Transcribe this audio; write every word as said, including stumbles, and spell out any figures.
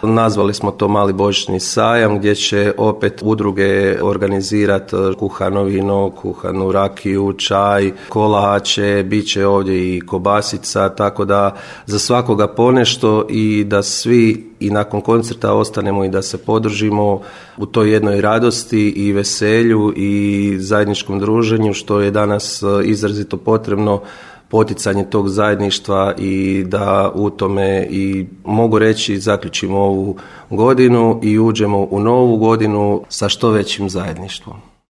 Nazvali smo to Mali božićni sajam gdje će opet udruge organizirati kuhano vino, kuhanu rakiju, čaj, kolače, bit će ovdje i kobasica, tako da za svakoga ponešto i da svi i nakon koncerta ostanemo i da se podržimo u toj jednoj radosti i veselju i zajedničkom druženju što je danas izrazito potrebno, poticanje tog zajedništva i da u tome i mogu reći zaključimo ovu godinu i uđemo u novu godinu sa što većim zajedništvom.